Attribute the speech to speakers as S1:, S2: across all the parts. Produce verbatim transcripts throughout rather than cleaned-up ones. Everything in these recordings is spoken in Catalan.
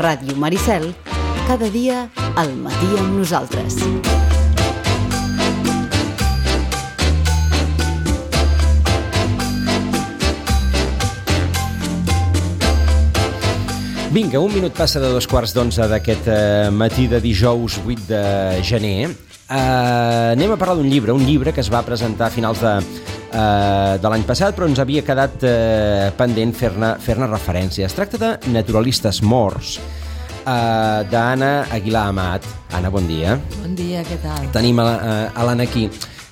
S1: Ràdio Maricel, cada dia al matí amb nosaltres.
S2: Vinga, un minut passa de dos quarts d'onze d'aquest eh, matí de dijous vuit de gener. Eh, anem a parlar d'un llibre, un llibre que es va presentar a finals de, eh, de l'any passat, però ens havia quedat eh, pendent fer-ne fer-ne referència. Es tracta de Naturalistes morts, eh, d'Anna Aguilar Amat. Anna, bon dia.
S3: Bon dia, què tal?
S2: Tenim a, a l'Anna aquí,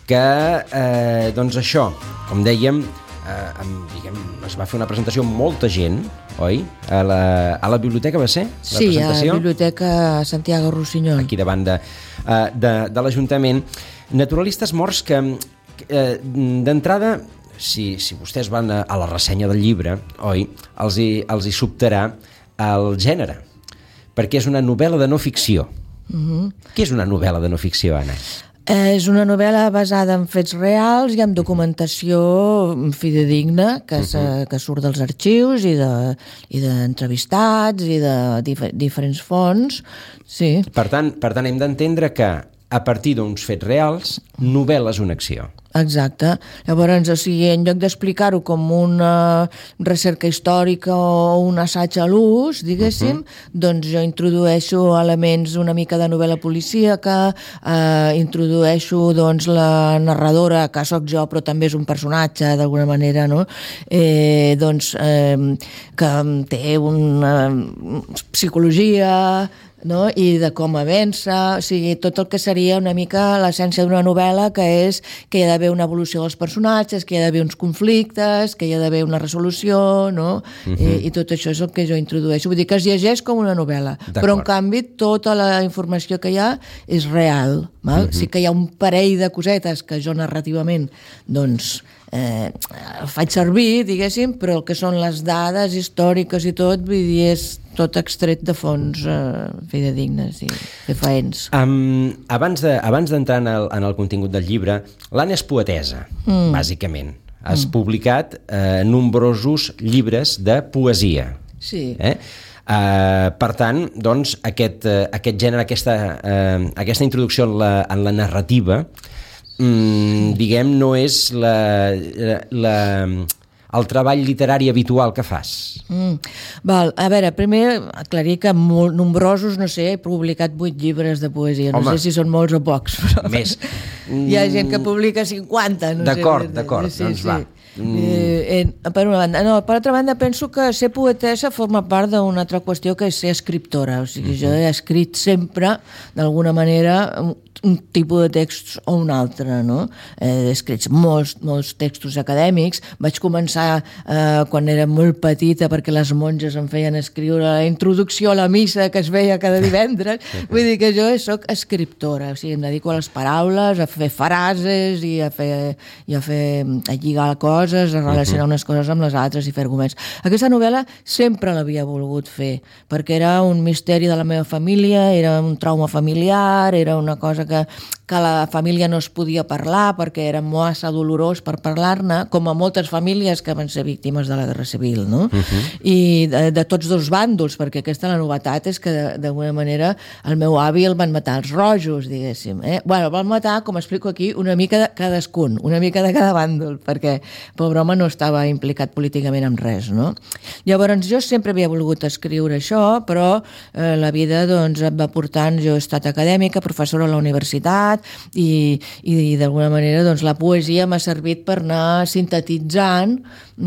S2: que, eh, doncs això, com dèiem, eh, amb, diguem, es va fer una presentació amb molta gent, oi? A la, a la biblioteca va ser? La
S3: sí,
S2: presentació?
S3: a la biblioteca Santiago Rossinyol.
S2: Aquí davant de, de, de l'Ajuntament. Naturalistes morts que, eh, d'entrada, si, si vostès van a, a la ressenya del llibre, oi? Els hi, els hi sobtarà el gènere, perquè és una novel·la de no ficció. Mm-hmm. Què és una novel·la de no ficció, Anna?
S3: És una novel·la basada en fets reals i en documentació fidedigna que, uh-huh. que surt dels arxius i d'entrevistats i, de, i de dif diferents fonts. Sí.
S2: Per tant, per tant, hem d'entendre que a partir d'uns fets reals, novel·la és una acció.
S3: Exacte. Llavors, o sigui, en lloc d'explicar-ho com una recerca històrica o un assaig a l'ús, diguéssim, uh-huh. doncs jo introdueixo elements una mica de novel·la policíaca, eh, introdueixo doncs, la narradora, que sóc jo, però també és un personatge, d'alguna manera, no? Eh, doncs, eh, que té una psicologia, no? I de com avança, o sigui, tot el que seria una mica l'essència d'una novel·la, que és que hi ha d'haver una evolució dels personatges, que hi ha d'haver uns conflictes, que hi ha d'haver una resolució, no? Uh-huh. I, i tot això és el que jo introdueixo. Vull dir que es llegeix com una novel·la, però en canvi tota la informació que hi ha és real, val? Uh-huh. Sí que hi ha un parell de cosetes que jo narrativament, doncs, eh, faig servir, diguéssim, però el que són les dades històriques i tot, vull dir, és tot extret de fonts eh, fidedignes i fefaents.
S2: Um, abans de, abans d'entrar en, el, en el contingut del llibre, l'Anna és poetesa, mm. bàsicament. Has mm. publicat eh, nombrosos llibres de poesia.
S3: Sí.
S2: Eh? Uh, per tant, doncs, aquest, uh, aquest gènere, aquesta, uh, aquesta introducció en la, en la narrativa, um, diguem, no és la... la, la el treball literari habitual que fas.
S3: Mm. Val, a veure, primer aclarir que molt nombrosos, no sé, he publicat vuit llibres de poesia. No Home. sé si són molts o pocs. Però
S2: més.
S3: Hi ha gent que publica cinquanta. No
S2: d'acord,
S3: sé.
S2: d'acord,
S3: sí,
S2: doncs
S3: sí.
S2: va.
S3: Mm. Eh, eh, per una banda. No, per altra banda, penso que ser poetessa forma part d'una altra qüestió, que és ser escriptora. O sigui, mm-hmm. jo he escrit sempre, d'alguna manera, un, un tipus de text o un altre, no? He escrit molts, molts textos acadèmics. Vaig començar eh, quan era molt petita, perquè les monges em feien escriure la introducció a la missa que es veia cada divendres. Vull dir que jo soc escriptora, o sigui, em dedico a les paraules, a fer frases i a fer, i a fer a lligar coses, a relacionar unes coses amb les altres i fer arguments. Aquesta novel·la sempre l'havia volgut fer, perquè era un misteri de la meva família, era un trauma familiar, era una cosa que, que la família no es podia parlar perquè era massa dolorós per parlar-ne, com a moltes famílies que van ser víctimes de la Guerra Civil, no? Uh-huh. I de, de tots dos bàndols, perquè aquesta la novetat és que d'alguna manera el meu avi el van matar els rojos, diguéssim. Eh? Bueno, el van matar, com explico aquí, una mica de cadascun, una mica de cada bàndol, perquè pobre home no estava implicat políticament en res, no? Llavors jo sempre havia volgut escriure això, però eh, la vida doncs em va portant, jo he estat acadèmica, professora a la universitat, i, i d'alguna manera doncs, la poesia m'ha servit per anar sintetitzant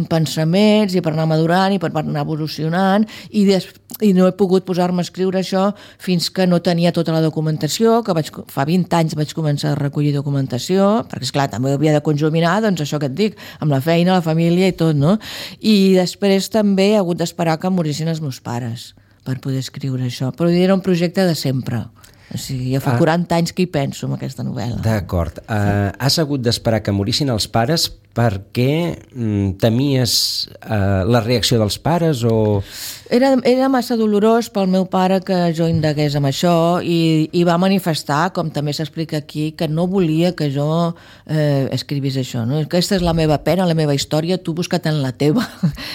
S3: pensaments i per anar madurant i per anar evolucionant, i, des, i no he pogut posar-me a escriure això fins que no tenia tota la documentació, que vaig, fa vint anys vaig començar a recollir documentació, perquè esclar, també havia de conjuminar, doncs això que et dic, amb la feina, la família i tot, no? I després també he hagut d'esperar que morissin els meus pares per poder escriure això, però era un projecte de sempre. O sigui, ja fa ah. quaranta anys que hi penso en aquesta novel·la.
S2: D'acord. Uh, has hagut d'esperar que morissin els pares per què temies eh, la reacció dels pares o...
S3: Era, era massa dolorós pel meu pare que jo indagués amb això i, i va manifestar, com també s'explica aquí, que no volia que jo eh, escrivís això. No? Aquesta és la meva pena, la meva història, tu busca't en la teva.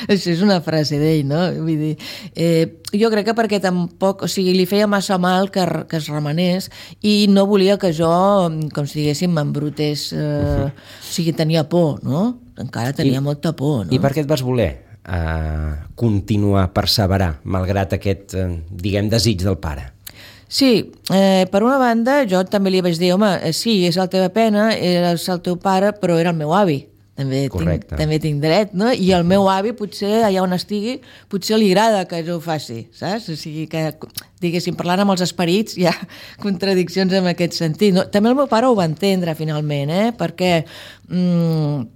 S3: Això és una frase d'ell, no? Vull dir, eh, jo crec que perquè tampoc, o sigui, li feia massa mal que, que es remenés i no volia que jo, com si diguéssim, m'embrutés, eh, uh-huh. o sigui, tenia por, no? Encara tenia I, molta por, no?
S2: I per què et vas voler uh, continuar, perseverar, malgrat aquest, uh, diguem, desig del pare?
S3: Sí, eh, per una banda, jo també li vaig dir, home, eh, sí, és la teva pena, és el teu pare, però era el meu avi. També tinc, també tinc dret, no? I el meu avi, potser, allà on estigui, potser li agrada que jo ho faci, saps? O sigui que, diguéssim, parlant amb els esperits hi ha contradiccions en aquest sentit. No? També el meu pare ho va entendre, finalment, eh? Perquè... Mm,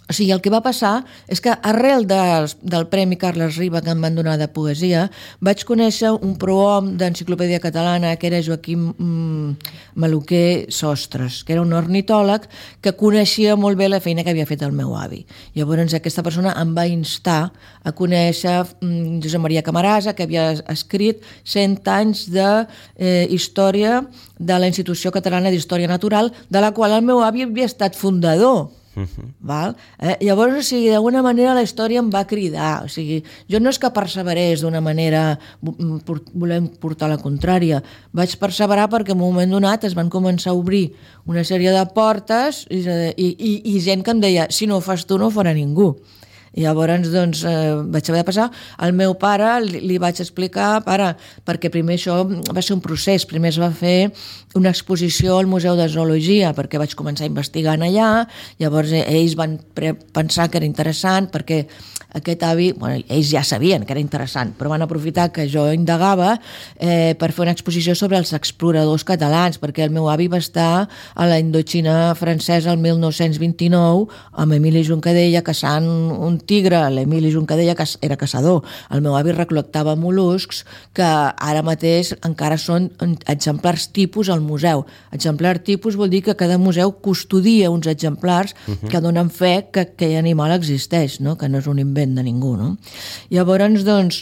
S3: o sigui, el que va passar és que arrel del, del Premi Carles Riba que em van donar de poesia vaig conèixer un prohom d'Enciclopèdia Catalana que era Joaquim mm, Maluquer Sostres, que era un ornitòleg que coneixia molt bé la feina que havia fet el meu avi. Llavors aquesta persona em va instar a conèixer mm, Josep Maria Camarasa, que havia escrit cent anys de eh, història de la Institució Catalana d'Història Natural, de la qual el meu avi havia estat fundador. Uh-huh. Val? Eh, llavors, o sigui, d'alguna manera la història em va cridar, o sigui, jo no és que perseverés d'una manera volent portar la contrària, vaig perseverar perquè en un moment donat es van començar a obrir una sèrie de portes i, i, i, i gent que em deia, si no ho fas tu no ho farà ningú. I llavors, doncs, eh, vaig haver de passar. Al meu pare li, li vaig explicar, pare, perquè primer això va ser un procés. Primer es va fer una exposició al Museu de Zoologia, perquè vaig començar investigant allà, llavors eh, ells van pre- pensar que era interessant, perquè aquest avi, bueno, ells ja sabien que era interessant, però van aprofitar que jo indagava eh, per fer una exposició sobre els exploradors catalans, perquè el meu avi va estar a la Indoxina francesa el mil nou-cents vint-i-nou amb Emili Juncadella caçant un tigre. L'Emili Juncadella era caçador. El meu avi recol·lectava mol·luscs que ara mateix encara són exemplars tipus al museu. Exemplar tipus vol dir que cada museu custodia uns exemplars uh-huh. que donen fe que aquell animal existeix, no? Que no és un invent de ningú, no? Llavors, doncs,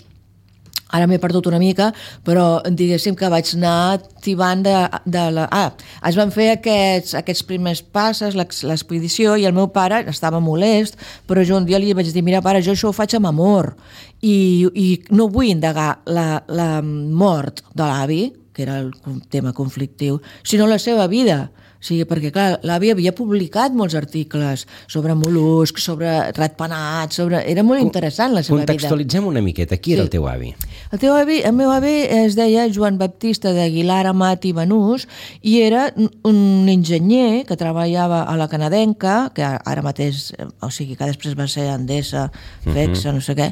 S3: ara m'he perdut una mica, però diguéssim que vaig anar tibant de, de la... Ah, es van fer aquests, aquests primers passes, l'expedició, i el meu pare estava molest, però jo un dia li vaig dir, mira, pare, jo això ho faig amb amor, i, i no vull indagar la, la mort de l'avi, que era el tema conflictiu, sinó la seva vida. O sigui, perquè, clar, l'avi havia publicat molts articles sobre mol·luscs, sobre ratpenats, sobre... Era molt interessant la seva vida.
S2: Contextualitzem una miqueta. Qui sí. era el teu avi?
S3: El teu avi, el meu avi es deia Joan Baptista d'Aguilar Amat i Banús i era un enginyer que treballava a la Canadenca, que ara mateix, o sigui, que després va ser Endesa, Fexa, uh-huh. no sé què,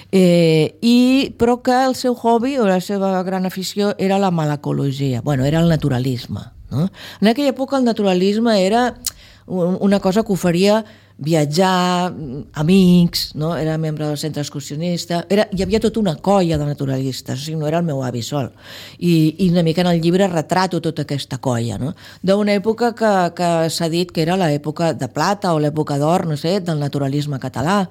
S3: eh, i, però que el seu hobby o la seva gran afició era la malacologia, bueno, era el naturalisme. No? En aquella època el naturalisme era una cosa que oferia viatjar, amics, no? Era membre del centre excursionista, era, hi havia tota una colla de naturalistes, o sigui, no era el meu avi sol. I, i una mica en el llibre retrato tota aquesta colla, no? D'una època que, que s'ha dit que era l'època de plata o l'època d'or, no sé, del naturalisme català.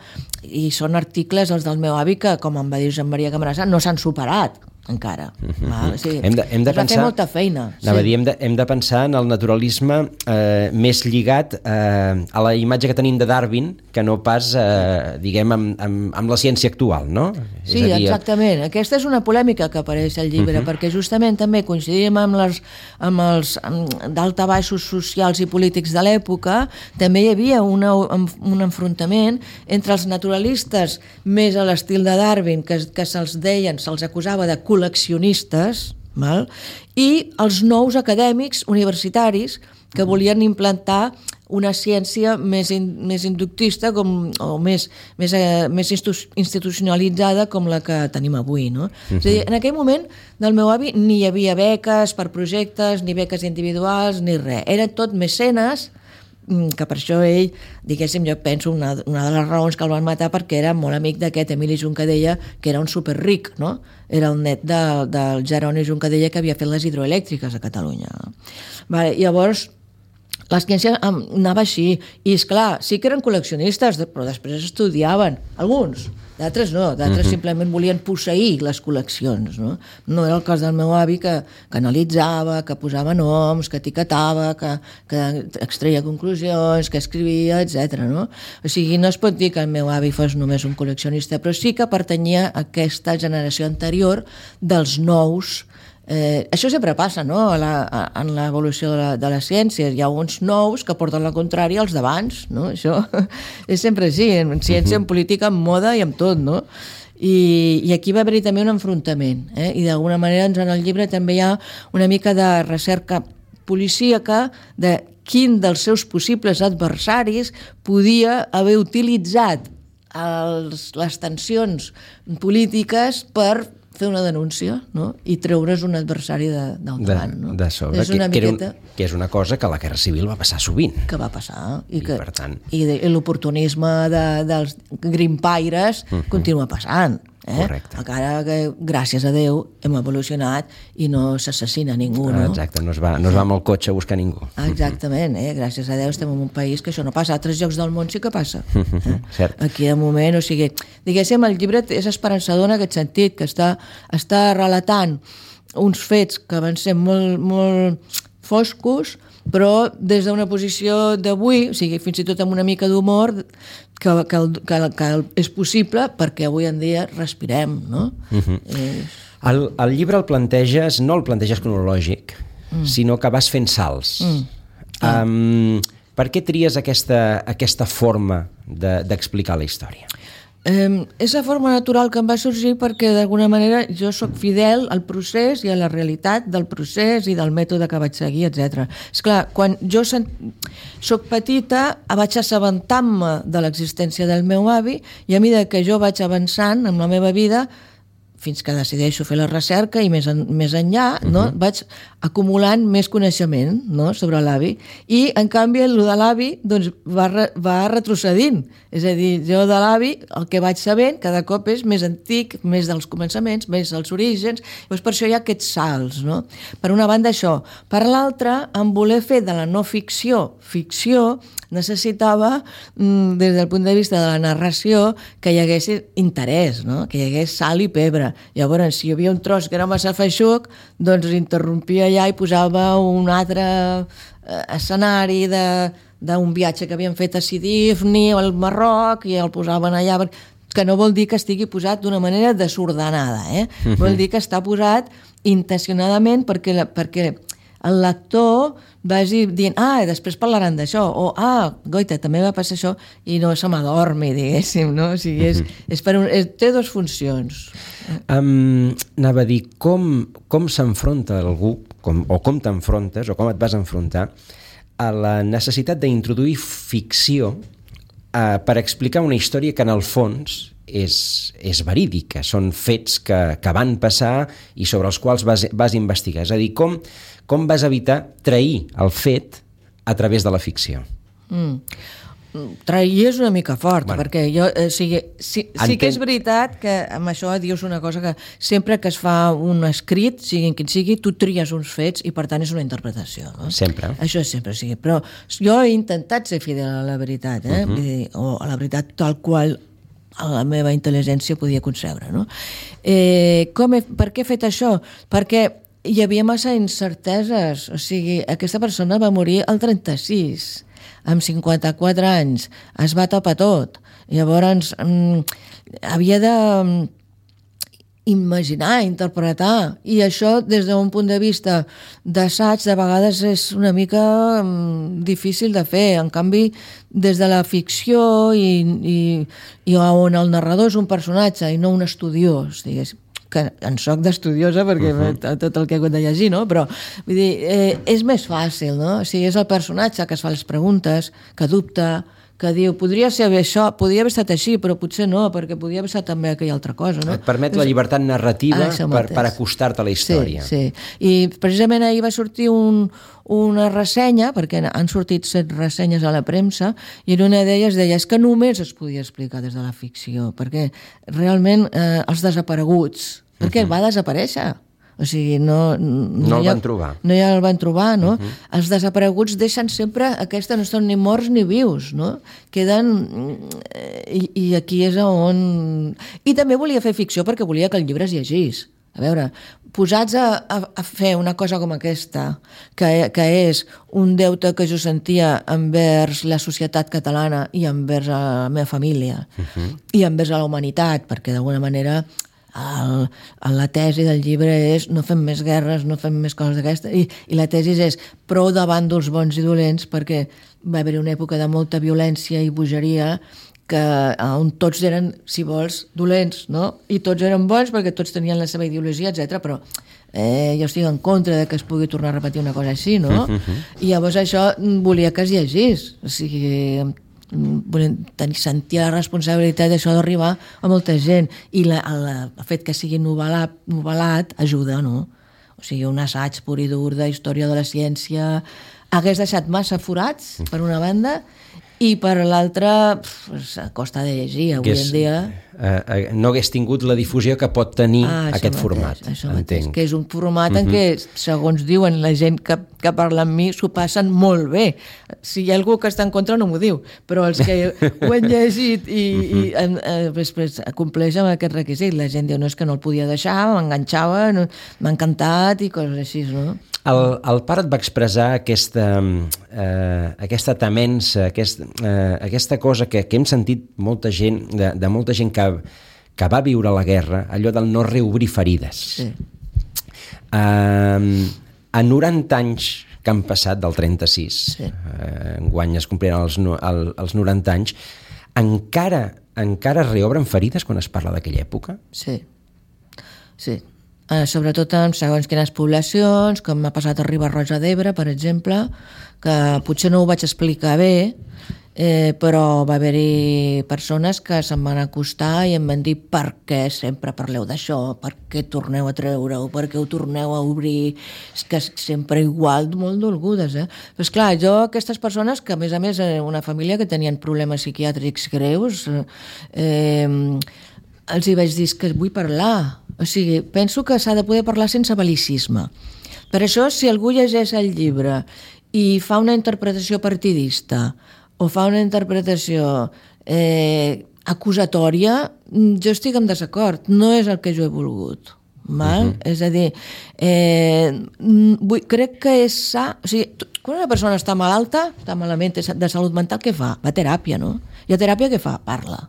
S3: I són articles, els del meu avi, que, com em va dir Josep Maria Camarasa, no s'han superat encara. Uh-huh. Va? O sigui,
S2: hem de, hem de
S3: es va
S2: pensar,
S3: fer molta feina.
S2: Sí. Dir, hem, de, hem de pensar en el naturalisme eh, més lligat eh, a la imatge que tenim de Darwin que no pas, eh, diguem, amb, amb, amb la ciència actual, no?
S3: Sí,
S2: és a dir,
S3: exactament. Aquesta és una polèmica que apareix al llibre, uh-huh. perquè justament també coincidim amb, les, amb els daltabaixos socials i polítics de l'època, també hi havia una, un enfrontament entre els naturalistes més a l'estil de Darwin, que, que se'ls deien, se'ls acusava de col·leccionistes, val? I els nous acadèmics universitaris que volien implantar una ciència més, in, més inductista com, o més, més, eh, més institucionalitzada com la que tenim avui. No? Uh-huh. És a dir, en aquell moment del meu avi ni hi havia beques per projectes, ni beques individuals, ni res. Eren tot mecenes, que per això ell, diguéssim, jo penso una, una de les raons que el van matar perquè era molt amic d'aquest Emili Juncadella, que era un superric, no? Era el net de, del Jeroni Juncadella que havia fet les hidroelèctriques a Catalunya. Vale, llavors, la ciència anava així, i esclar, sí que eren col·leccionistes, però després estudiaven, alguns, d'altres no, d'altres uh-huh. simplement volien posseir les col·leccions, no? No era el cas del meu avi que, que analitzava, que posava noms, que etiquetava, que, que extreia conclusions, que escrivia, etcètera. No? O sigui, no es pot dir que el meu avi fos només un col·leccionista, però sí que pertanyia a aquesta generació anterior dels nous. Eh, això sempre passa, no? A la, a, en l'evolució de, la, de les ciències. Hi ha uns nous que porten la contrària als d'abans, no? Això és sempre així, en ciència, en política, en moda i en tot, no? I, i aquí va haver-hi també un enfrontament, eh? I d'alguna manera doncs, en el llibre també hi ha una mica de recerca policíaca de quin dels seus possibles adversaris podia haver utilitzat els, les tensions polítiques per fer una denúncia, no? I treure's un adversari de, del davant. No?
S2: De sobre, és una que, miqueta... que, un, que és una cosa que a la Guerra Civil va passar sovint.
S3: Que va passar. I,
S2: I
S3: que,
S2: per tant...
S3: I, de, i l'oportunisme de, dels grimpaires uh-huh. continua passant. Eh?
S2: Correcte.
S3: Encara que, gràcies a Déu, hem evolucionat i no s'assassina ningú, no?
S2: Exacte, no es va, no es va amb el cotxe a buscar ningú.
S3: Exactament, eh? Gràcies a Déu estem en un país que això no passa. A altres llocs del món sí que passa. Eh?
S2: Cert.
S3: Aquí, de moment, o sigui, diguéssim, el llibre és esperançador en aquest sentit, que està, està relatant uns fets que van ser molt, molt foscos, però des d'una posició d'avui, o sigui, fins i tot amb una mica d'humor, que, que, que, que és possible perquè avui en dia respirem, no? Uh-huh. és...
S2: el, el llibre el planteges, no el planteges cronològic, mm. sinó que vas fent salts. Mm. Um, per què tries aquesta, aquesta forma de, d'explicar la història?
S3: Eh, és la forma natural que em va sorgir perquè d'alguna manera jo sóc fidel al procés i a la realitat del procés i del mètode que vaig seguir, etcètera. Esclar, quan jo sent... soc petita vaig assabentar-me de l'existència del meu avi i a mesura que jo vaig avançant en la meva vida fins que decideixo fer la recerca i més, en, més enllà, no? Uh-huh. vaig acumulant més coneixement, no? Sobre l'avi. I, en canvi, el de l'avi doncs, va, re, va retrocedint. És a dir, jo de l'avi, el que vaig sabent, cada cop és més antic, més dels començaments, més dels orígens. Llavors, per això hi ha aquests salts. No? Per una banda, això. Per l'altra, en voler fer de la no ficció ficció, necessitava, des del punt de vista de la narració, que hi hagués interès, no? Que hi hagués sal i pebre. Llavors, si hi havia un tros que era massa feixuc, doncs interrompia allà i posava un altre escenari de, d'un viatge que havien fet a Sidifni o al Marroc i el posaven allà, que no vol dir que estigui posat d'una manera desordenada, eh? Uh-huh. Vol dir que està posat intencionadament perquè, la, perquè el lector vagi dient, ah, després parlaran d'això, o ah, goita, també va passar això, i no se m'adormi, diguéssim, no? O sigui, és, és per un, és, té dues funcions.
S2: Um, anava a dir, com, com s'enfronta algú, com, o com t'enfrontes, o com et vas enfrontar, a la necessitat d'introduir ficció uh, per explicar una història que en el fons és, és verídica, són fets que, que van passar i sobre els quals vas, vas investigar. És a dir, com, com vas evitar trair el fet a través de la ficció? Mm.
S3: Trair és una mica fort, bueno, perquè jo, eh, sigui, sí, sí que és veritat que amb això dius una cosa que sempre que es fa un escrit, sigui quin sigui, tu tries uns fets i per tant és una interpretació. No?
S2: Sempre.
S3: Això sempre sigui. Però jo he intentat ser fidel a la veritat, eh? Uh-huh. dir, o a la veritat tal qual la meva intel·ligència podia concebre. No? Eh, com he, per què he fet això? Perquè hi havia massa incerteses. O sigui, aquesta persona va morir al trenta-sis, amb cinquanta-quatre anys, es va tapar tot. Llavors, mm, havia de imaginar, interpretar, i això des d'un punt de vista d'assaig de vegades és una mica mm, difícil de fer. En canvi, des de la ficció i, i, i on el narrador és un personatge i no un estudiós, diguéssim, que en soc d'estudiosa perquè uh-huh. tot el que he hagut de llegir, no? Però vull dir, eh, és més fàcil, no? O sigui, és el personatge que es fa les preguntes, que dubta, que diu, podria ser això, podria haver estat així, però potser no, perquè podria haver estat també aquella altra cosa, no?
S2: Et permet la llibertat narrativa ah, per, per acostar-te a la història.
S3: Sí, sí. I precisament ahir va sortir un, una ressenya, perquè han sortit set ressenyes a la premsa, i en una d'elles deia, és que només es podia explicar des de la ficció, perquè realment eh, els desapareguts, perquè uh-huh. va desaparèixer. O sigui, no... No,
S2: no el
S3: hi ha,
S2: van trobar.
S3: No ja el van trobar, no? Uh-huh.
S2: Uh-huh.
S3: Els desapareguts deixen sempre... Aquesta no són ni morts ni vius, no? Queden... I, i aquí és on... I també volia fer ficció perquè volia que el llibre es llegís. A veure, posats a, a, a fer una cosa com aquesta, que, que és un deute que jo sentia envers la societat catalana i envers la meva família, uh-huh. i envers la humanitat, perquè d'alguna manera... El, la tesi del llibre és no fem més guerres, no fem més coses d'aquestes, i, i la tesi és prou de bàndols bons i dolents, perquè va haver una època de molta violència i bogeria que, on tots eren, si vols, dolents, no? I tots eren bons perquè tots tenien la seva ideologia, etcètera. Però eh, jo estic en contra de que es pugui tornar a repetir una cosa així, no? Uh-huh. I llavors això volia que es llegís, o sigui... tenir, sentir la responsabilitat d'això d'arribar a molta gent, i la, el, el fet que sigui novel·lat, novel·lat ajuda, no? O sigui, un assaig pur i dur de història de la ciència hagués deixat massa forats per una banda, i per l'altra costa de llegir avui en dia.
S2: Eh, no hagués tingut la difusió que pot tenir ah, aquest mateix, format.
S3: Això mateix, que és un format en què, segons diuen la gent que, que parla amb mi, s'ho passen molt bé. Si hi ha algú que està en contra no m'ho diu, però els que ho han llegit i, i eh, després compleix amb aquest requisit. La gent diu, no, és que no el podia deixar, m'enganxava, no, m'ha encantat i coses així, no?
S2: El, el pare et va expressar aquesta, eh, aquesta temença, aquest, eh, aquesta cosa que, que hem sentit molta gent, de, de molta gent que, que va viure la guerra, allò del no reobrir ferides. Sí. Eh, a noranta anys que han passat del trenta-sis, sí. eh, enguany es compliran els, el, els noranta anys, encara, encara es reobren ferides quan es parla d'aquella època?
S3: Sí, sí. Eh, sobretot en segons quines poblacions, com m'ha passat a Riba-roja d'Ebre, per exemple, que potser no ho vaig explicar bé, eh, però va haver-hi persones que se'm van acostar i em van dir per què sempre parleu d'això, per què torneu a treure-ho, per què ho torneu a obrir, és que sempre igual, molt dolgudes, eh? Però esclar, jo, aquestes persones, que a més a més una família que tenien problemes psiquiàtrics greus, eh, els hi vaig dir que vull parlar. O sigui, penso que s'ha de poder parlar sense bel·licisme. Per això, si algú llegeix el llibre i fa una interpretació partidista o fa una interpretació eh, acusatòria, jo estic en desacord. No és el que jo he volgut. Val? Uh-huh. És a dir, eh, vull, crec que és sa... O sigui, quan una persona està malalta, està malament de salut mental, què fa? Va a teràpia, no? I a teràpia què fa? Parla,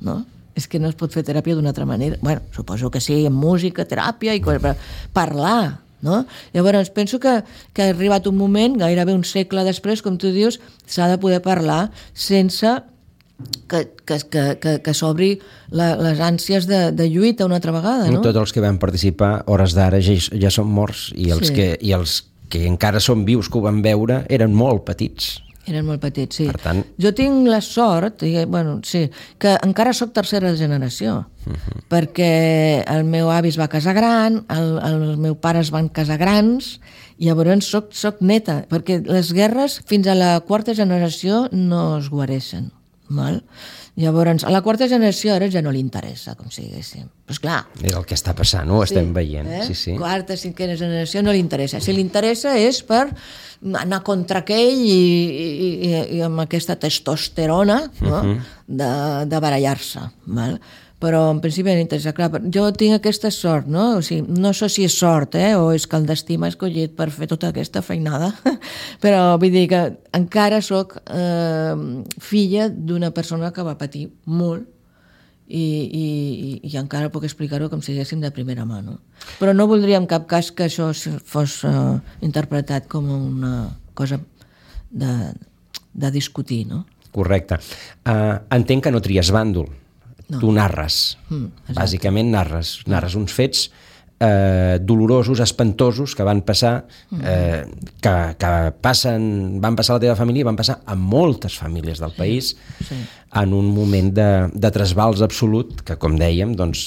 S3: no? És que no es pot fer teràpia d'una altra manera. Bueno, suposo que sí, en música, teràpia, i però parlar, no? Llavors, penso que, que ha arribat un moment, gairebé un segle després, com tu dius, s'ha de poder parlar sense que, que, que, que, que s'obri la, les ànsies de, de lluita una altra vegada, no?
S2: Tots els que van participar, hores d'ara, ja, ja són morts, i els, sí. que, i els que encara són vius, que ho van veure, eren molt petits.
S3: Eren molt petits, sí.
S2: Per tant...
S3: Jo tinc la sort, i, bueno, sí, que encara sóc tercera generació, uh-huh. perquè el meu avi es va casar gran, el, el meu pare es van casar grans, i llavors soc, soc neta, perquè les guerres fins a la quarta generació no es guareixen. Val? Llavors, a la quarta generació ara ja no li interessa, com si diguéssim. Però esclar...
S2: És el que està passant, ho sí, estem veient.
S3: Eh?
S2: Sí, sí.
S3: Quarta, cinquena generació no li interessa. Si li interessa és per anar contra aquell i, i, i, i amb aquesta testosterona, no? uh-huh. de, de barallar-se. Val? Però en principi no interessa. Clar, jo tinc aquesta sort, no? O sigui, no sé si és sort, eh? O és que el destí m'ha escollit per fer tota aquesta feinada, però vull dir que encara sóc eh, filla d'una persona que va patir molt i, i, i encara puc explicar-ho com si diguéssim de primera mà, no? Però no voldria en cap cas que això fos eh, interpretat com una cosa de, de discutir, no?
S2: Correcte. Uh, entenc que no tries bàndol. No. Tu narres, mm, bàsicament narres, narres uns fets eh, dolorosos, espantosos, que van passar, eh, que, que passen, van passar a la teva família i van passar a moltes famílies del país, sí, sí. en un moment de, de trasbals absolut, que com dèiem, doncs,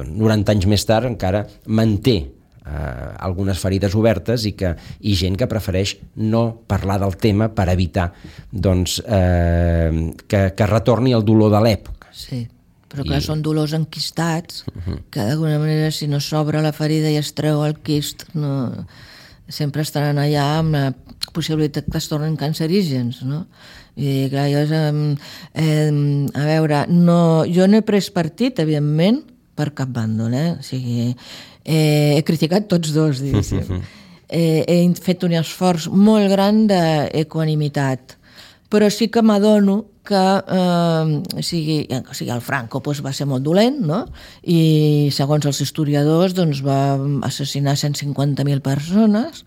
S2: noranta anys més tard encara manté eh, algunes ferides obertes i, que, i gent que prefereix no parlar del tema per evitar doncs, eh, que, que retorni el dolor de l'època.
S3: Sí. però clar,
S2: I...
S3: són dolors enquistats,
S2: Uh-huh.
S3: que d'alguna manera, si no s'obre la ferida i es treu el quist, no... sempre estaran allà amb la possibilitat que es tornen cancerígens, no? I clar, jo, eh, eh, a veure, no, jo no he pres partit, evidentment, per cap bàndol, eh? O sigui, eh, he criticat tots dos, diguéssim. eh, he fet un esforç molt gran d'equanimitat, però sí que m'adono que eh, o, sigui, o sigui, el Franco doncs, va ser molt dolent, no? I segons els historiadors doncs, va assassinar cent cinquanta mil persones,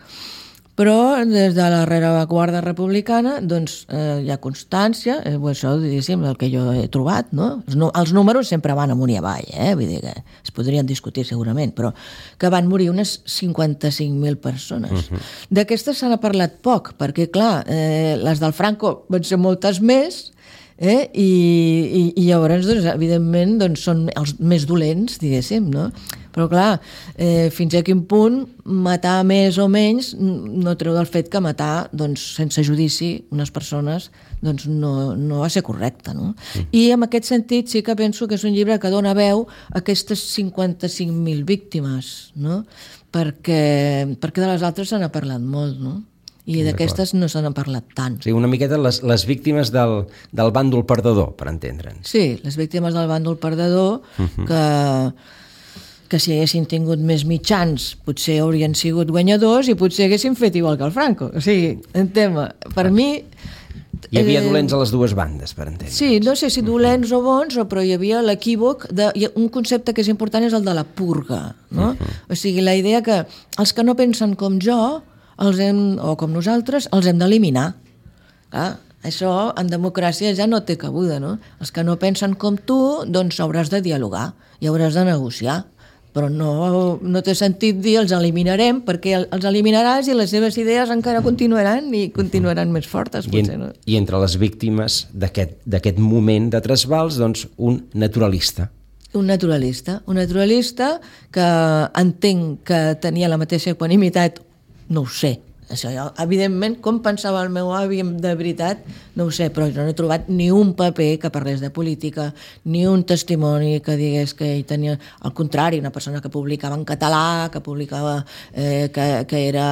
S3: però des de la rereguarda republicana doncs, eh, hi ha constància, eh, això diguéssim, el que jo he trobat, no? Els, no, els números sempre van amunt i avall, eh? Vull dir que es podrien discutir segurament, però que van morir unes cinquanta-cinc mil persones. Uh-huh. D'aquestes se n'ha parlat poc, perquè clar, eh, les del Franco van ser moltes més, eh? I, i, i llavors, doncs, evidentment, doncs, són els més dolents, diguéssim, no? Però clar, eh, fins a quin punt matar més o menys no treu del fet que matar doncs, sense judici unes persones doncs, no, no va ser correcte, no? Mm. I en aquest sentit sí que penso que és un llibre que dona veu a aquestes cinquanta-cinc mil víctimes, no? Perquè, perquè de les altres se n'ha parlat molt, no? I d'aquestes no se n'ha parlat tant.
S2: O sigui, una miqueta les, les víctimes del, del bàndol perdedor, per entendre'ns.
S3: Sí, les víctimes del bàndol perdedor, uh-huh. que, que si haguessin tingut més mitjans potser haurien sigut guanyadors i potser haguessin fet igual que el Franco. O sigui, en tema, per ah. mi...
S2: Hi havia dolents a les dues bandes, per entendre'ns.
S3: Sí, no sé si dolents uh-huh. o bons, però hi havia l'equívoc de... Un concepte que és important és el de la purga, no? Uh-huh. O sigui, la idea que els que no pensen com jo els hem, o com nosaltres, els hem d'eliminar. Ah, això en democràcia ja no té cabuda, no? Els que no pensen com tu, doncs hauràs de dialogar i hauràs de negociar, però no, no té sentit dir els eliminarem, perquè els eliminaràs i les seves idees encara continuaran i continuaran més fortes, potser, no?
S2: I entre les víctimes d'aquest moment de trasbals, doncs, un naturalista.
S3: Un naturalista, un naturalista que entenc que tenia la mateixa equanimitat. No ho sé, això, evidentment, com pensava el meu avi de veritat, no ho sé, però jo no he trobat ni un paper que parlés de política, ni un testimoni que digués que ell tenia, al contrari, una persona que publicava en català, que publicava, eh, que, que era,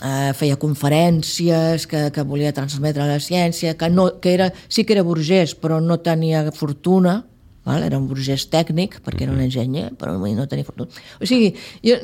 S3: eh, feia conferències, que, que volia transmetre la ciència, que, no, que era, sí que era burgès, però no tenia fortuna, val? Era un burgès tècnic, perquè era un enginyer, però no tenia fortuna. O sigui, jo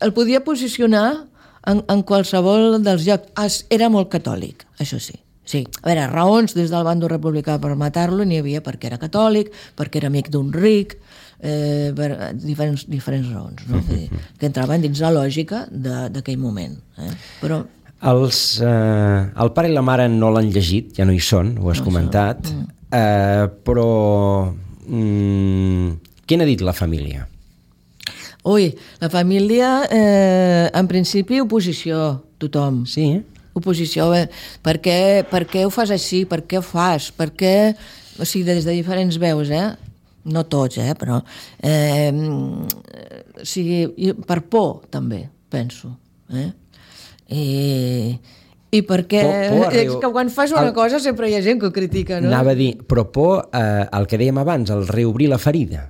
S3: el podia posicionar En, en qualsevol dels llocs. Era molt catòlic, això sí. Sí. A veure, raons des del bàndol republicà per matar-lo n'hi havia perquè era catòlic, perquè era amic d'un ric, eh, per diferents, diferents raons, no? Que, que entraven dins la lògica d'aquell moment. Eh? Però...
S2: Els, eh, el pare i la mare no l'han llegit, ja no hi són, ho has no comentat, mm. eh, però mm, què n'ha dit la família?
S3: Ui, la família, eh, en principi, oposició, tothom.
S2: Sí, eh?
S3: Oposició, eh? Per què, per què ho fas així? Per què ho fas? Per què... O sigui, des de diferents veus, eh? No tots, eh? Però... Eh, o sigui, per por, també, penso. Eh? I... I perquè por, por és que quan fas una el... cosa sempre hi ha gent que ho critica, no?
S2: Anava a dir, però por, eh, el que dèiem abans, el reobrir la ferida.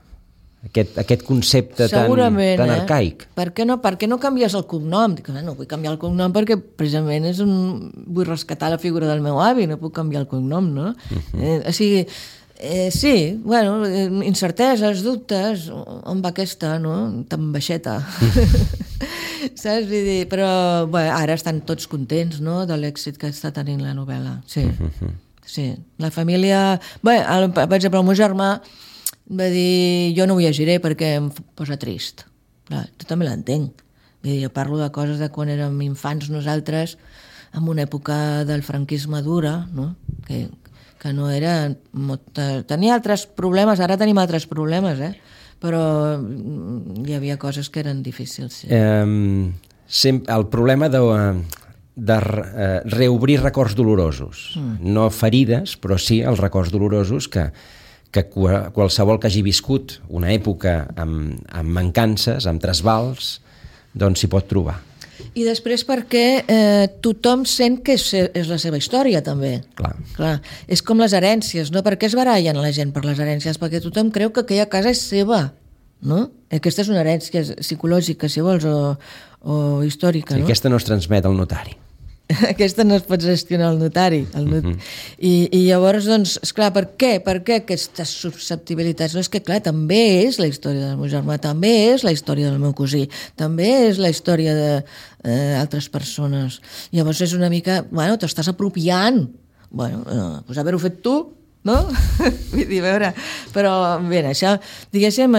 S2: Aquest, aquest concepte tan, tan eh? arcaic.
S3: Per què no, per què no canvies el cognom? Dic, no vull canviar el cognom perquè precisament és un... vull rescatar la figura del meu avi, no puc canviar el cognom, no? Uh-huh. eh, o sigui, eh, sí, bueno, incerteses, dubtes, on va aquesta, no? Tan baixeta. Saps? Vull dir, però bé, ara estan tots contents, no?, de l'èxit que està tenint la novel·la. Sí, uh-huh. sí. La família... Bé, el, per exemple, el meu germà va dir, jo no ho llegiré perquè em posa trist. Clar, jo també l'entenc. Jo parlo de coses de quan érem infants nosaltres, en una època del franquisme dura, no? que, que no era... Tenia altres problemes, ara tenim altres problemes, eh? Però hi havia coses que eren difícils. Sí.
S2: Um, sempre, el problema de, de uh, reobrir records dolorosos. Mm. No ferides, però sí els records dolorosos que que qualsevol que hagi viscut una època amb, amb mancances, amb trasbals, doncs s'hi pot trobar.
S3: I després perquè eh, tothom sent que és, és la seva història, també.
S2: Clar.
S3: Clar. És com les herències, no? Per què es barallen la gent per les herències? Perquè tothom creu que aquella casa és seva, no? Aquesta és una herència psicològica, si vols, o, o històrica,
S2: sí,
S3: no?
S2: Aquesta no es transmet al notari.
S3: Aquesta no es pot gestionar al notari. El not... uh-huh. I, I llavors, doncs, esclar, per què? Per què aquestes susceptibilitats? No, és que, clar, també és la història del meu germà, també és la història del meu cosí, també és la història d'altres eh, persones. Llavors és una mica... Bueno, t'estàs apropiant. Bueno, eh, doncs haver-ho fet tu, no? Vull dir, a veure... Però, bé, això, diguéssim,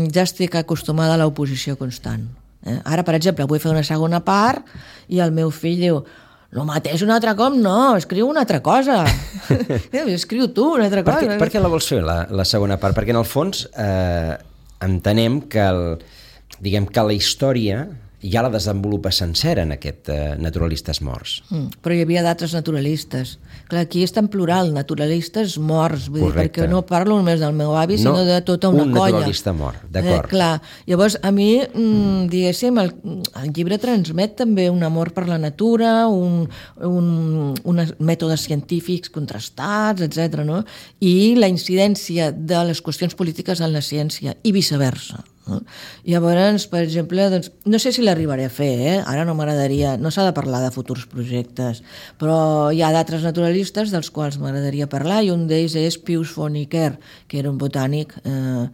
S3: ja estic acostumada a l'oposició constant. Eh? Ara, per exemple, vull fer una segona part i el meu fill diu: no mateix un altre cop, no, escriu una altra cosa. Escriu tu una altra
S2: per
S3: cosa.
S2: Què, per què la vols fer, la, la segona part? Perquè, en el fons, eh, entenem que, el, diguem que la història ja la desenvolupa sencera en aquest eh, Naturalistes morts. Mm,
S3: però hi havia d'altres naturalistes. Clar, aquí és tan plural, naturalistes morts, vull dir, perquè no parlo només del meu avi,
S2: no,
S3: sinó de tota una
S2: un
S3: colla.
S2: Un naturalista mort, d'acord.
S3: Eh, clar, llavors a mi, mm, diguéssim, el, el llibre transmet també un amor per la natura, un, un, uns mètodes científics contrastats, etcètera, no? I la incidència de les qüestions polítiques en la ciència, i viceversa. No? Llavors, per exemple, doncs, no sé si l'arribaré a fer, eh? Ara no m'agradaria, no s'ha de parlar de futurs projectes, però hi ha d'altres naturalistes dels quals m'agradaria parlar, i un d'ells és Pius von Iker, que era un botànic eh,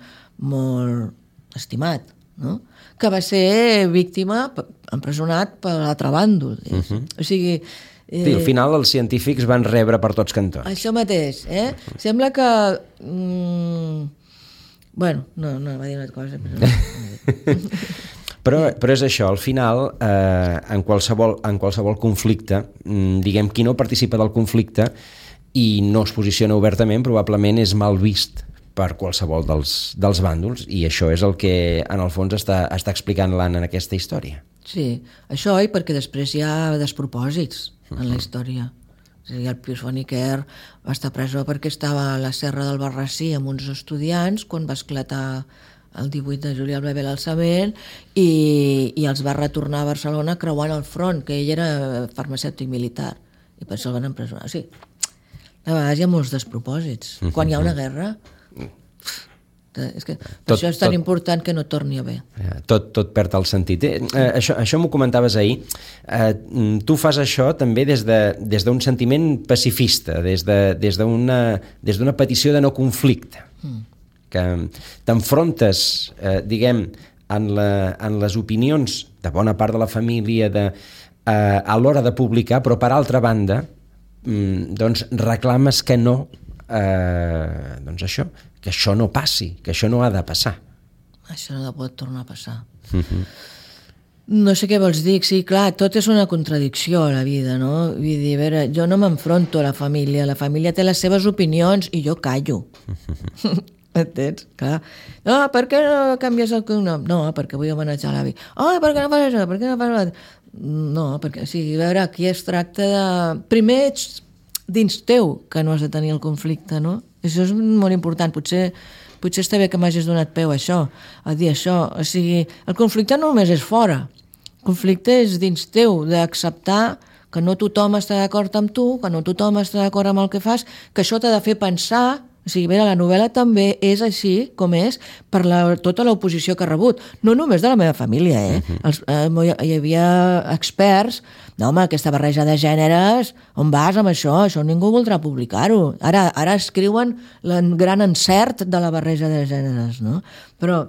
S3: molt estimat, no? Que va ser víctima, empresonat per l'altre bàndol. Uh-huh. O sigui...
S2: Eh, sí, al final els científics van rebre per tots cantons.
S3: Això mateix, eh? Uh-huh. Sembla que... Mm, Bueno, no, no, va dir una cosa. Però,
S2: però, però és això, al final, eh, en, qualsevol, en qualsevol conflicte, diguem, qui no participa del conflicte i no es posiciona obertament, probablement és mal vist per qualsevol dels, dels bàndols, i això és el que, en el fons, està, està explicant l'Anna en aquesta història.
S3: Sí, això, i perquè després hi ha despropòsits en la història. És a dir, el Pius von Iker va estar presó perquè estava a la serra del Barrací amb uns estudiants quan va esclatar el divuit de juliol va haver l'alçament i, i els va retornar a Barcelona creuant el front, que ell era farmacèutic militar, i per això el van empresonar. O sigui, a vegades hi ha molts despropòsits. Quan hi ha una guerra... És que tot, això és tan tot, important que no torni a haver.
S2: Tot, tot perd el sentit. Eh, això això m'ho comentaves ahir. Eh, tu fas això també des de, des d'un sentiment pacifista, des de, des d'una des d'una petició de no conflicte. Mm. Que t'enfrontes, eh, diguem, en, la, en les opinions de bona part de la família de, eh, a l'hora de publicar, però per altra banda, mm, doncs reclames que no, eh, doncs això, que això no passi, que això no ha de passar.
S3: Això no ha de poder tornar a passar.
S2: Uh-huh.
S3: No sé què vols dir, sí, clar, tot és una contradicció a la vida, no? Vull dir, a veure, jo no m'enfronto a la família, la família té les seves opinions i jo callo. Uh-huh. Entens? Clar. No, per què no canvies el cognom? No, perquè vull homenatjar l'avi. Oh, per què no fas això? Per què no fas això? No, perquè, o sigui, a veure, aquí es tracta de... Primer ets dins teu que no has de tenir el conflicte, no? Això és molt important. Potser, potser està bé que m'hagis donat peu a això, a dir això. O sigui, el conflicte no només és fora. El conflicte és dins teu, d'acceptar que no tothom està d'acord amb tu, que no tothom està d'acord amb el que fas, que això t'ha de fer pensar. O sigui, bé, la novel·la també és així com és per la, tota l'oposició que ha rebut. No només de la meva família, eh? Uh-huh. Els, eh hi havia experts. No, home, aquesta barreja de gèneres, on vas amb això? Això ningú voldrà publicar-ho. Ara, ara escriuen el gran encert de la barreja de gèneres, no? Però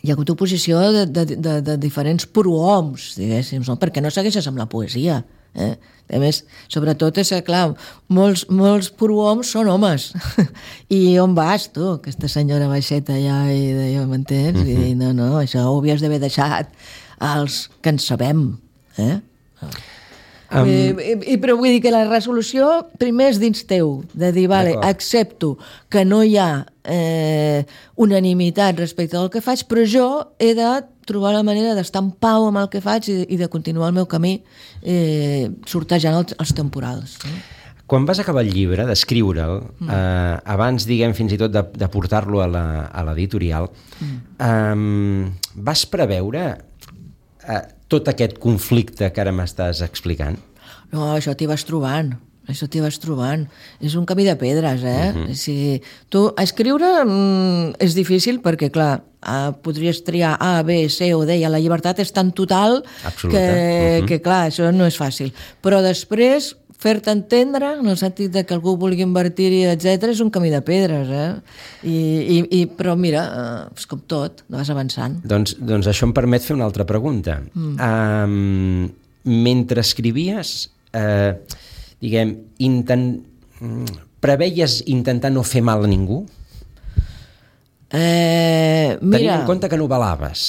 S3: hi ha hagut oposició de, de, de, de diferents prohoms, diguéssim, no? Perquè no segueixes amb la poesia. Eh? A més, sobretot és que, clar, molts, molts prohoms són homes. I on vas, tu? Aquesta senyora baixeta allà i deia, m'entens? Uh-huh. I no, no, això ho havies d'haver deixat als que en sabem. Eh? Um... I, i, però vull dir que la resolució primer és dins teu, de dir, vale, accepto que no hi ha eh, unanimitat respecte al que faig, però jo he de trobar la manera d'estar en pau amb el que faig i, i de continuar el meu camí eh, sortejant els, els temporals. Eh?
S2: Quan vas acabar el llibre, d'escriure'l, mm. eh, abans, diguem, fins i tot de, de portar-lo a l'editorial, mm. eh, vas preveure eh, tot aquest conflicte que ara m'estàs explicant?
S3: No, això t'hi vas trobant. Això t'hi vas trobant. És un camí de pedres, eh? Uh-huh. O sigui, tu, escriure mm, és difícil perquè, clar, eh, podries triar A, B, C o D, i la llibertat és tan total
S2: Absoluta.
S3: que,
S2: uh-huh.
S3: que, clar, això no és fàcil. Però després, fer-te entendre, en el sentit de que algú vulgui invertir-hi, etcètera, és un camí de pedres, eh? I, i, i, però mira, eh, és com tot, vas avançant.
S2: Doncs, doncs això em permet fer una altra pregunta. Mm. Um, mentre escrivies, eh, diguem, intent... preveies intentar no fer mal a ningú?
S3: Eh, mira...
S2: Tenint en compte que novelaves,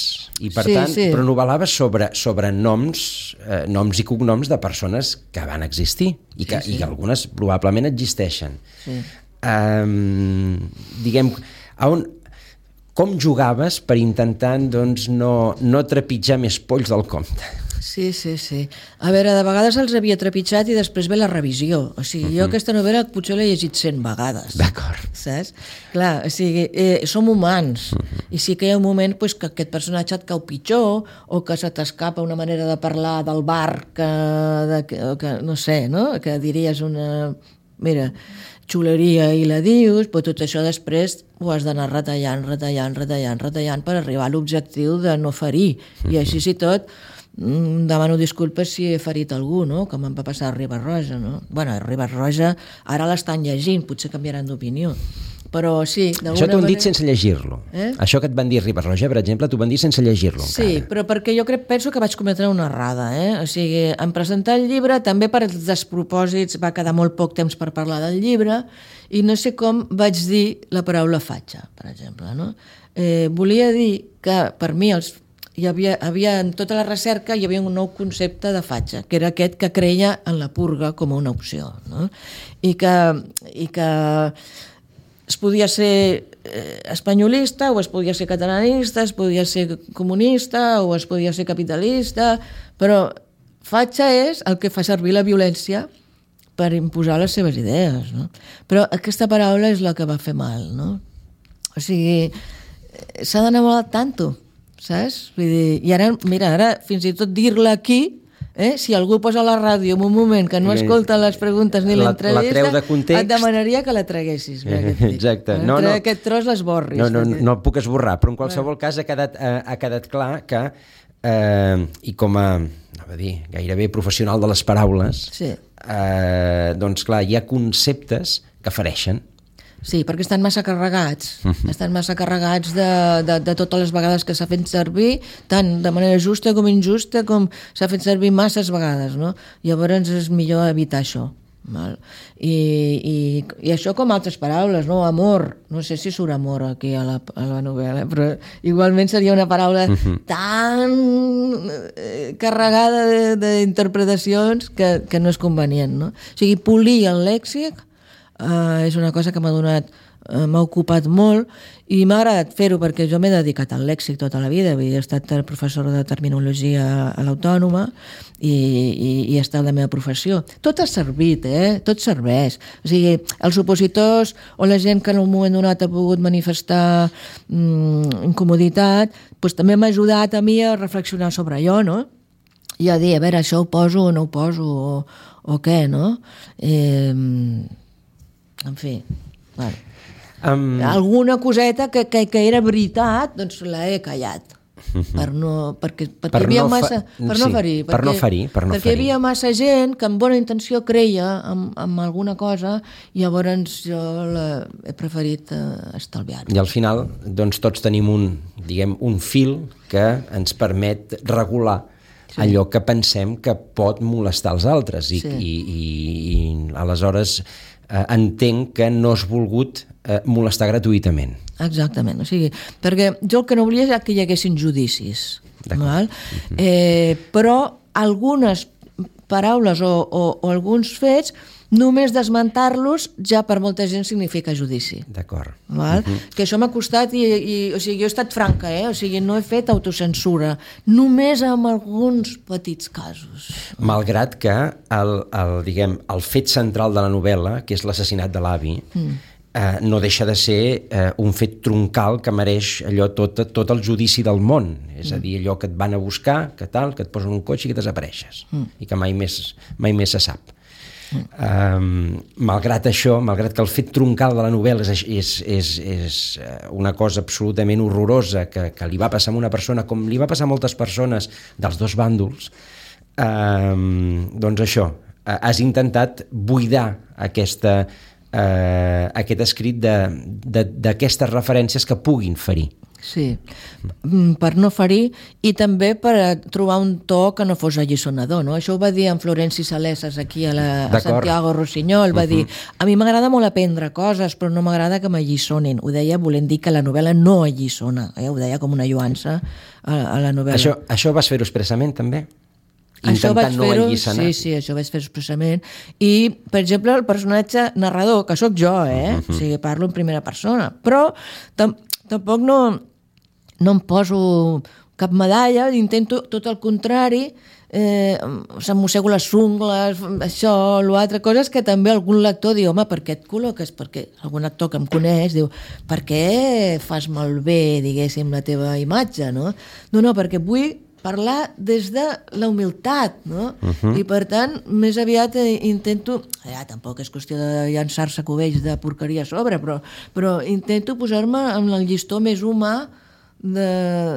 S2: i per
S3: sí,
S2: tant,
S3: sí.
S2: però novelaves sobre, sobre noms, eh, noms i cognoms de persones que van existir i que, sí, sí. i que algunes probablement existeixen. Sí. Um, diguem, a on, com jugaves per intentar doncs, no, no trepitjar més polls del compte?
S3: Sí, sí, sí. A veure, de vegades els havia trepitjat i després ve la revisió. O sigui, uh-huh. jo aquesta novel·la potser l'he llegit cent vegades.
S2: D'acord.
S3: Saps? Clar, o sigui, eh, som humans. Uh-huh. I sí que hi ha un moment pues, que aquest personatge et cau pitjor o que se t'escapa una manera de parlar del bar que, de, que, que no sé, no? Que diries una... Mira, xuleria i la dius, però tot això després ho has d'anar retallant, retallant, retallant, retallant per arribar a l'objectiu de no ferir. Uh-huh. I així sí tot... demano disculpes si he ferit algú, no? Com em va passar a Riba-roja, no? Bueno, a Riba-roja ara l'estan llegint, potser canviaran d'opinió. Però sí, d'alguna
S2: Això t'ho han
S3: manera...
S2: dit sense llegir-lo. Eh? Això que et van dir Riba-roja, per exemple, t'ho van dir sense llegir-lo.
S3: Sí, encara. Però perquè jo crec, penso que vaig cometre una errada. Eh? O sigui, en presentar el llibre, també per els despropòsits, va quedar molt poc temps per parlar del llibre, i no sé com vaig dir la paraula fatxa, per exemple. No? Eh, volia dir que, per mi, els hi havia, havia, en tota la recerca hi havia un nou concepte de fatxa, que era aquest que creia en la purga com una opció, no? I que, i que es podia ser eh, espanyolista o es podia ser catalanista, es podia ser comunista o es podia ser capitalista, però fatxa és el que fa servir la violència per imposar les seves idees, no? Però aquesta paraula és la que va fer mal, no? O sigui, s'ha d'anar molt al tanto, saps? Vull dir, i ara, mira, ara fins i tot dir-la aquí, eh, si algú posa la ràdio en un moment que no escolta les preguntes ni l'entrevista, de context, et demanaria que la traguessis. Eh,
S2: exacte. No, no,
S3: aquest tros l'esborris.
S2: No, no, no, no el puc esborrar, però en qualsevol cas ha quedat, ha, ha quedat clar que, eh, i com a, no va dir, gairebé professional de les paraules, sí. eh, doncs clar, hi ha conceptes que fereixen.
S3: Sí, perquè estan massa carregats, uh-huh. estan massa carregats de, de, de totes les vegades que s'ha fet servir, tant de manera justa com injusta, com s'ha fet servir masses vegades, no? Llavors és millor evitar això. Val? I, i, I això com altres paraules, no? Amor, no sé si surt amor aquí a la, a la novel·la, però igualment seria una paraula uh-huh. tan eh, carregada d'interpretacions que, que no és convenient, no? O sigui, polir el lèxic Uh, és una cosa que m'ha donat, uh, m'ha ocupat molt i m'ha agradat fer-ho perquè jo m'he dedicat al lèxic tota la vida, he estat professor de terminologia a l'Autònoma i, i, i he estat la meva professió. Tot ha servit, eh? Tot serveix. O sigui, els opositors o la gent que en un moment donat ha pogut manifestar mm, incomoditat, doncs també m'ha ajudat a mi a reflexionar sobre allò, no? I a dir, a veure, això ho poso o no ho poso o, o què, no? Eh... En fi, bueno. um... alguna coseta que, que, que era veritat, doncs la he callat. Per no, perquè, perquè per havia no massa, fa... per no ferir.
S2: Sí, per no ferir. Per no
S3: perquè
S2: ferir.
S3: Hi havia massa gent que amb bona intenció creia en, en alguna cosa i llavors jo la, he preferit uh, estalviar-ho.
S2: I al final, doncs, tots tenim un, diguem, un fil que ens permet regular sí. allò que pensem que pot molestar els altres i, sí. i, i, i aleshores eh, entenc que no has volgut eh, molestar gratuïtament.
S3: Exactament, o sigui, perquè jo el que no volia és que hi haguessin judicis, val? Uh-huh. eh, però algunes paraules o, o, o alguns fets només desmentar-los ja per molta gent significa judici.
S2: D'acord.
S3: Val? Uh-huh. Que això m'ha costat i, i o sigui, jo he estat franca, eh? O sigui, no he fet autocensura, només en alguns petits casos.
S2: Malgrat que el, el, diguem, el fet central de la novel·la, que és l'assassinat de l'avi, mm. eh, no deixa de ser eh, un fet troncal que mereix allò tot, tot el judici del món. És a dir, allò que et van a buscar, que tal, que et posen un cotxe i que desapareixes. Mm. I que mai més, mai més se sap. Mm. Um, malgrat això, malgrat que el fet troncal de la novel·la és, és, és, és una cosa absolutament horrorosa que, que li va passar a una persona com li va passar a moltes persones dels dos bàndols, um, doncs això, has intentat buidar aquesta, uh, aquest escrit d'aquestes referències que puguin ferir.
S3: Sí, per no ferir i també per trobar un to que no fos alliçonador, no? Això ho va dir en Florenci Salesas aquí a, la, a Santiago Rossinyol, va uh-huh. dir, a mi m'agrada molt aprendre coses, però no m'agrada que m'alliçonin. Ho deia volent dir que la novel·la no alliçona, eh? Ho deia com una lluança a, a la novel·la.
S2: Això, això vas fer-ho expressament, també?
S3: Això vaig no fer-ho, sí, sí, això vaig fer expressament. I, per exemple, el personatge narrador, que sóc jo, eh? Uh-huh. O sigui, parlo en primera persona, però tam tampoc no, no em poso cap medalla, intento tot el contrari, eh, se'm mossego les ungles, això, l'altre, coses que també algun lector diu, home, per què et col·loques? Perquè algun actor que em coneix diu, per què fas malbé, diguéssim, la teva imatge, no? No, no, perquè vull parlar des de la humilitat, no? Uh-huh. I per tant, més aviat intento, ja, tampoc és qüestió de llançar-se cubells de porqueria a sobre, però, però intento posar-me en el llistó més humà de,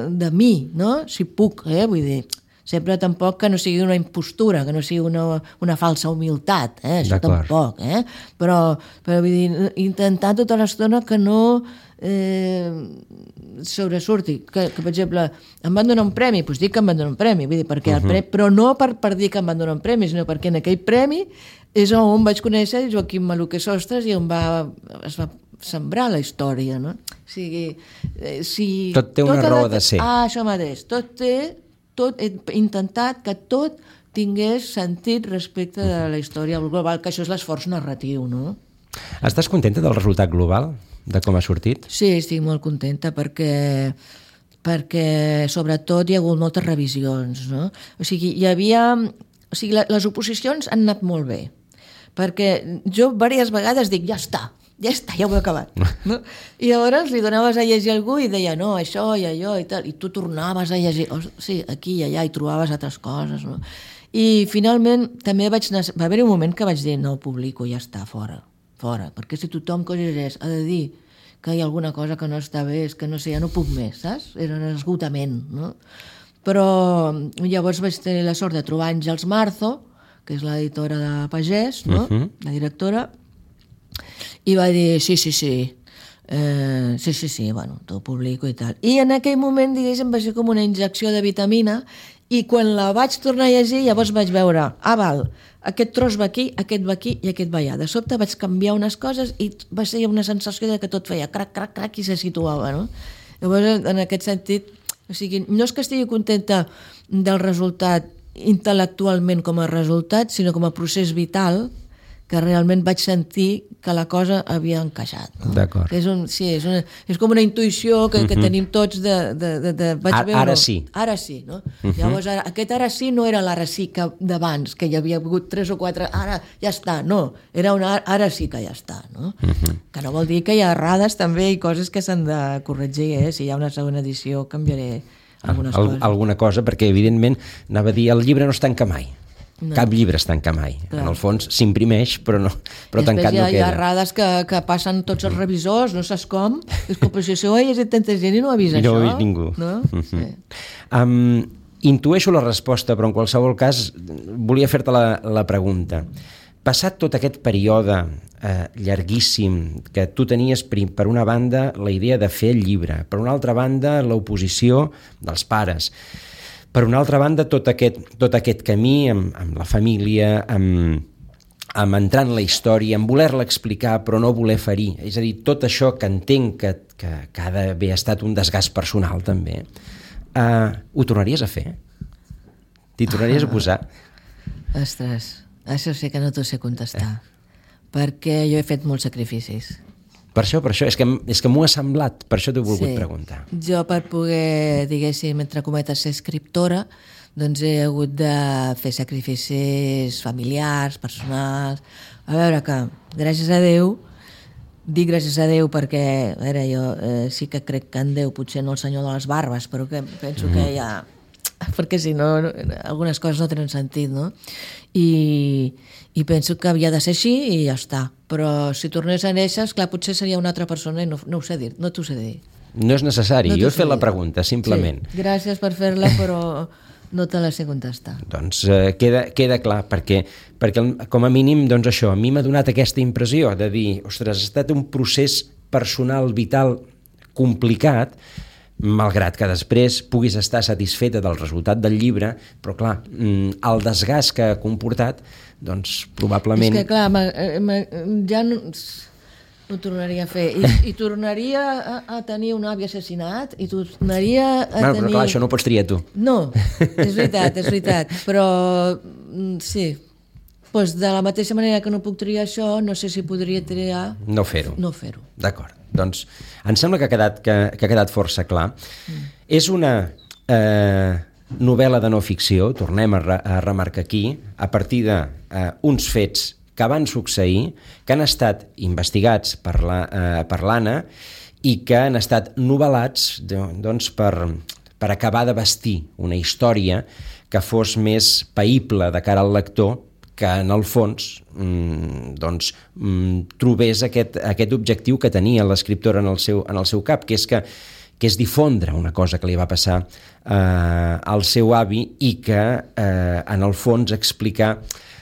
S3: de mi, no? Si puc, eh? Vull dir, sempre tampoc que no sigui una impostura, que no sigui una, una falsa humilitat, eh? Això tampoc, eh? Però, però vull dir, intentar tota l'estona que no eh, sobresurti, que, que per exemple em van donar un premi, doncs dic que em van donar un premi, vull dir, perquè uh-huh. el premi, però no per, per dir que em van donar un premi, sinó perquè en aquell premi és on vaig conèixer Joaquim Maluquer Sostres i on va, es va sembrar la història, no? O sigui, eh, si
S2: tot té una
S3: tota
S2: raó
S3: la...
S2: de ser.
S3: Ah, això mateix, tot té, tot, he intentat que tot tingués sentit respecte de la història global, que això és l'esforç narratiu, no?
S2: Estàs contenta del resultat global? De com ha sortit?
S3: Sí, estic molt contenta perquè, perquè sobretot hi ha hagut moltes revisions, no? O sigui, hi havia... O sigui, les oposicions han anat molt bé, perquè jo diverses vegades dic, ja està, ja està, ja ho he acabat. No? I llavors li donaves a llegir a algú i deia, no, això i allò i tal, i tu tornaves a llegir, oh, sí, aquí i allà, i trobaves altres coses, no? I finalment també vaig... Va haver un moment que vaig dir, no ho publico, ja està, fora. fora, perquè si tothom que llegeix ha de dir que hi ha alguna cosa que no està bé, és que no sé, ja no puc més, saps? Era un esgotament, no? Però llavors vaig tenir la sort de trobar Àngels Marzo, que és l'editora de Pagès, no? Uh-huh. La directora, i va dir, sí, sí, sí, eh, sí, sí, sí, bueno, t'ho publico i tal. I en aquell moment, diguéssim, va ser com una injecció de vitamina, i quan la vaig tornar a llegir, llavors vaig veure, ah, val, aquest tros va aquí, aquest va aquí i aquest va allà. De sobte vaig canviar unes coses i va ser una sensació de que tot feia crac, crac, crac i se situava, no? Llavors, en aquest sentit, o sigui, no és que estigui contenta del resultat intel·lectualment com a resultat, sinó com a procés vital, que realment vaig sentir que la cosa havia encaixat. No?
S2: D'acord.
S3: És, un, sí, és, una, és com una intuïció que, que uh-huh. tenim tots de... de, de, de vaig
S2: ara,
S3: veure,
S2: ara sí.
S3: Ara sí, no? Uh-huh. Llavors, ara, aquest ara sí no era l'ara sí que d'abans, que hi havia hagut tres o quatre, ara ja està, no. Era una ara sí que ja està, no? Uh-huh. Que no vol dir que hi ha errades també i coses que s'han de corregir, eh? Si hi ha una segona edició canviaré algunes
S2: Al,
S3: coses.
S2: Alguna cosa, perquè evidentment, anava a dir, el llibre no es tanca mai. No. Cap llibre es tanca mai. Clar. En el fons s'imprimeix, però, no, però tancat
S3: ha,
S2: no queda.
S3: Hi ha errades que, que passen tots els revisors, no saps com. És que per això ho ha llegit tanta gent i no ha vist
S2: I
S3: això.
S2: No ho ha vist ningú.
S3: No?
S2: Uh-huh.
S3: Sí.
S2: Um, intueixo la resposta, però en qualsevol cas volia fer-te la, la pregunta. Passat tot aquest període eh, llarguíssim, que tu tenies per una banda la idea de fer el llibre, per una altra banda l'oposició dels pares, per una altra banda, tot aquest, tot aquest camí amb, amb la família, amb, amb entrar en la història, amb voler-la explicar però no voler ferir. És a dir, tot això que entenc que, que, que ha d'haver estat un desgast personal també, uh, ho tornaries a fer? T'hi tornaries a posar?
S3: Ostres, això sé que no t'ho sé contestar, eh. perquè jo he fet molts sacrificis.
S2: Per això, per això, és que, és que m'ho ha semblat, per això t'ho he volgut
S3: sí.
S2: preguntar.
S3: Jo per poder, diguéssim, entre cometes, ser escriptora, doncs he hagut de fer sacrificis familiars, personals. A veure que, gràcies a Déu, dir gràcies a Déu perquè, a veure, jo eh, sí que crec que en Déu, potser no el senyor de les barbes, però que penso mm. que ja... perquè si no, algunes coses no tenen sentit, no? I, i penso que havia de ser així i ja està. Però si tornés a néixer, clar, potser seria una altra persona i no, no ho sé dir, no t'ho sé dir.
S2: No és necessari, no jo he fet la pregunta, simplement.
S3: Sí, gràcies per fer-la, però no te la sé contestar.
S2: Doncs eh, queda, queda clar, perquè, perquè com a mínim, doncs això, a mi m'ha donat aquesta impressió de dir, ostres, ha estat un procés personal, vital, complicat, malgrat que després puguis estar satisfeta del resultat del llibre, però clar, el desgast que ha comportat, doncs probablement...
S3: És que clar, ma, ma, ja no, no ho tornaria a fer. I, i tornaria a, a tenir un avi assassinat, i tornaria a
S2: bueno,
S3: tenir...
S2: Però clar, això no ho pots triar tu.
S3: No, és veritat, és veritat, però sí, doncs de la mateixa manera que no puc triar això, no sé si podria triar...
S2: No fer-ho.
S3: No fer-ho.
S2: D'acord. Doncs em sembla que ha quedat, que, que ha quedat força clar. Mm. És una eh, novel·la de no ficció, tornem a, re, a remarcar aquí, a partir d'uns eh, fets que van succeir, que han estat investigats per la, eh, per l'Anna i que han estat novel·lats doncs, per, per acabar de vestir una història que fos més païble de cara al lector, que en el fons mmm, doncs, mmm, trobés aquest, aquest objectiu que tenia l'escriptora en, el seu, en el seu cap, que és, que, que és difondre una cosa que li va passar eh, al seu avi i que eh, en el fons explicar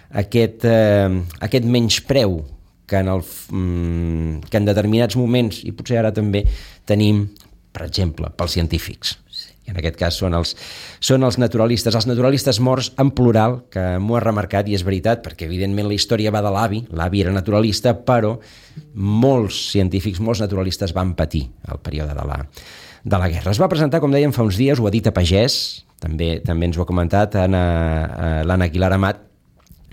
S2: aquest, eh, aquest menyspreu que en, el, mm, que en determinats moments, i potser ara també, tenim, per exemple, pels científics. En aquest cas són els, són els naturalistes, els naturalistes morts en plural, que m'ho ha remarcat i és veritat, perquè evidentment la història va de l'avi, l'avi era naturalista, però molts científics, molts naturalistes van patir el període de la, de la guerra. Es va presentar, com dèiem, fa uns dies, ho ha dit a Pagès, també, també ens ho ha comentat l'Anna Aguilar Amat,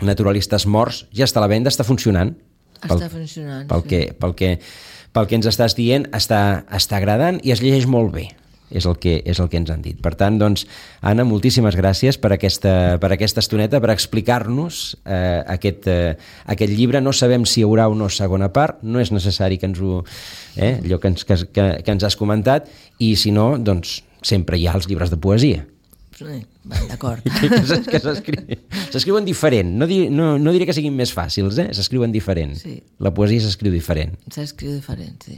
S2: Naturalistes morts, ja està a la venda, està funcionant.
S3: Està pel, funcionant,
S2: pel
S3: sí.
S2: Que, pel, que, pel que ens estàs dient, està, està agradant i es llegeix molt bé. És el, que, és el que ens han dit. Per tant, doncs, Anna, moltíssimes gràcies per aquesta, per aquesta estoneta, per explicar-nos eh, aquest, eh, aquest llibre. No sabem si hi haurà o no segona part, no és necessari que ens ho... Eh, allò que ens, que, que, que ens has comentat, i si no, doncs, sempre hi ha els llibres de poesia.
S3: Sí, d'acord.
S2: que s'escriuen diferent. No, dir, no, no diré que siguin més fàcils, eh? S'escriuen diferent. Sí. La poesia s'escriu diferent.
S3: S'escriu diferent, sí.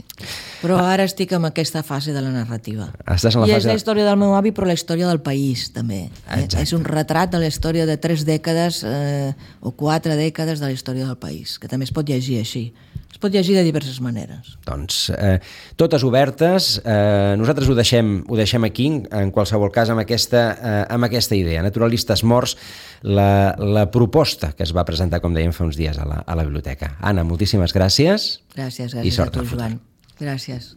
S3: Però ara estic en aquesta fase de la narrativa.
S2: Estàs en la
S3: I
S2: fase...
S3: és la història del meu avi, però la història del país, també. Eh? És un retrat de la història de tres dècades eh, o quatre dècades de la història del país, que també es pot llegir així. Es pot llegir de diverses maneres.
S2: Doncs eh, totes obertes. Eh, nosaltres ho deixem, ho deixem aquí, en qualsevol cas, amb aquesta, eh, amb aquesta idea. Naturalistes morts, la, la proposta que es va presentar, com dèiem, fa uns dies a la, a la biblioteca. Anna, moltíssimes gràcies.
S3: Gràcies, gràcies
S2: i sort
S3: a tu, Joan. Gràcies.